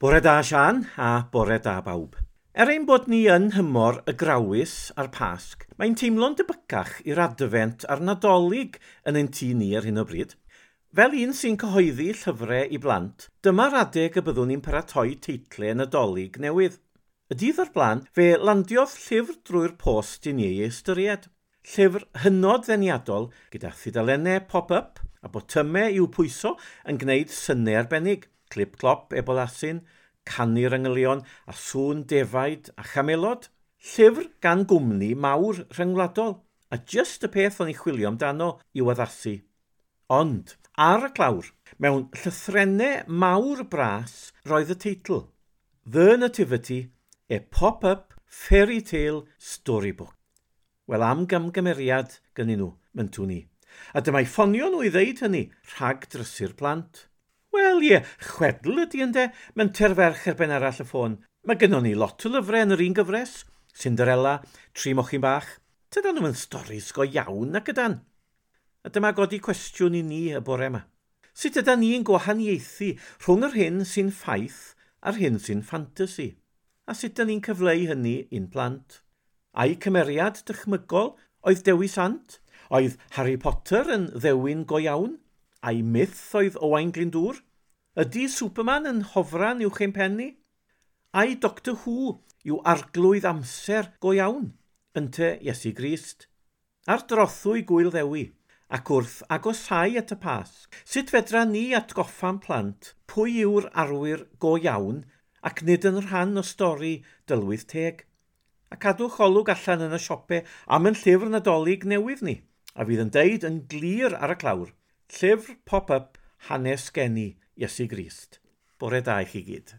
Bore da Sian a bore da bawb. Er ein bod ni yn nhymor y Grawys a'r Pasg, mae'n teimlo'n debycach i'r Adfent a'r Nadolig yn ein tŷ ni ar hyn o bryd. Fel un sy'n cyhoeddi llyfrau i blant, dyma'r adeg y byddwn ni'n paratoi teitlau Nadolig newydd. Y dydd o'r blaen, fe landiodd llyfr drwy'r post i ni ei ystyried. Llyfr hynod ddeniadol gyda thudalennau pop-up a botymau i'w pwyso yn gwneud synau arbennig. Clip-clop, ebol asyn, canu'r angylion a sŵn defaid a chamelod. Llyfr gan gwmni mawr rhyngwladol, a jyst y peth o'n i chwilio amdano i'w addasu. Ond, ar y clawr, mewn llythrennau mawr bras, roedd y teitl The Nativity, a pop-up fairy tale storybook. Wel, am gamgymeriad gynnyn nhw, myntwn ni. A dyma'i ffonio nhw i ddeud hynny, rhag drysu'r plant. Wel ie, chwedl ydy ynde, menter ferch ar ben arall y ffôn. Mae gynnon ni lot o lyfrau yn yr un gyfres. Cinderella, Tri Mochyn Bach. Tydan nhw'n storis go iawn ac ydan. A dyma godi cwestiwn i ni y bore yma. Sut ydan ni'n gwahaniaethu rhwng yr hyn sy'n ffaith a'r hyn sy'n ffantasi? A sut ydan ni'n cyfleu hynny i'n plant? Ai cymeriad dychmygol oedd Dewi Sant? Oedd Harry Potter yn ddewin go iawn? Ai myth oedd Owain Glyndŵr? Ydy Superman yn hofran uwch ein pen ni? Ai Doctor Who yw arglwydd amser go iawn? Ynte Iesu Grist? Ar drothwy Gŵyl Ddewi, ac wrth agosáu at y Pasg, sut fedra ni atgoffa'n plant pwy yw'r arwyr go iawn ac nid yn rhan o stori dylwyth teg? A cadwch olwg allan yn y siope am yn llyfr Nadolig newydd ni, a fydd yn deud yn glir ar y clawr, llyfr pop-up hanes geni Iesu Grist. Bore da i chi gyd.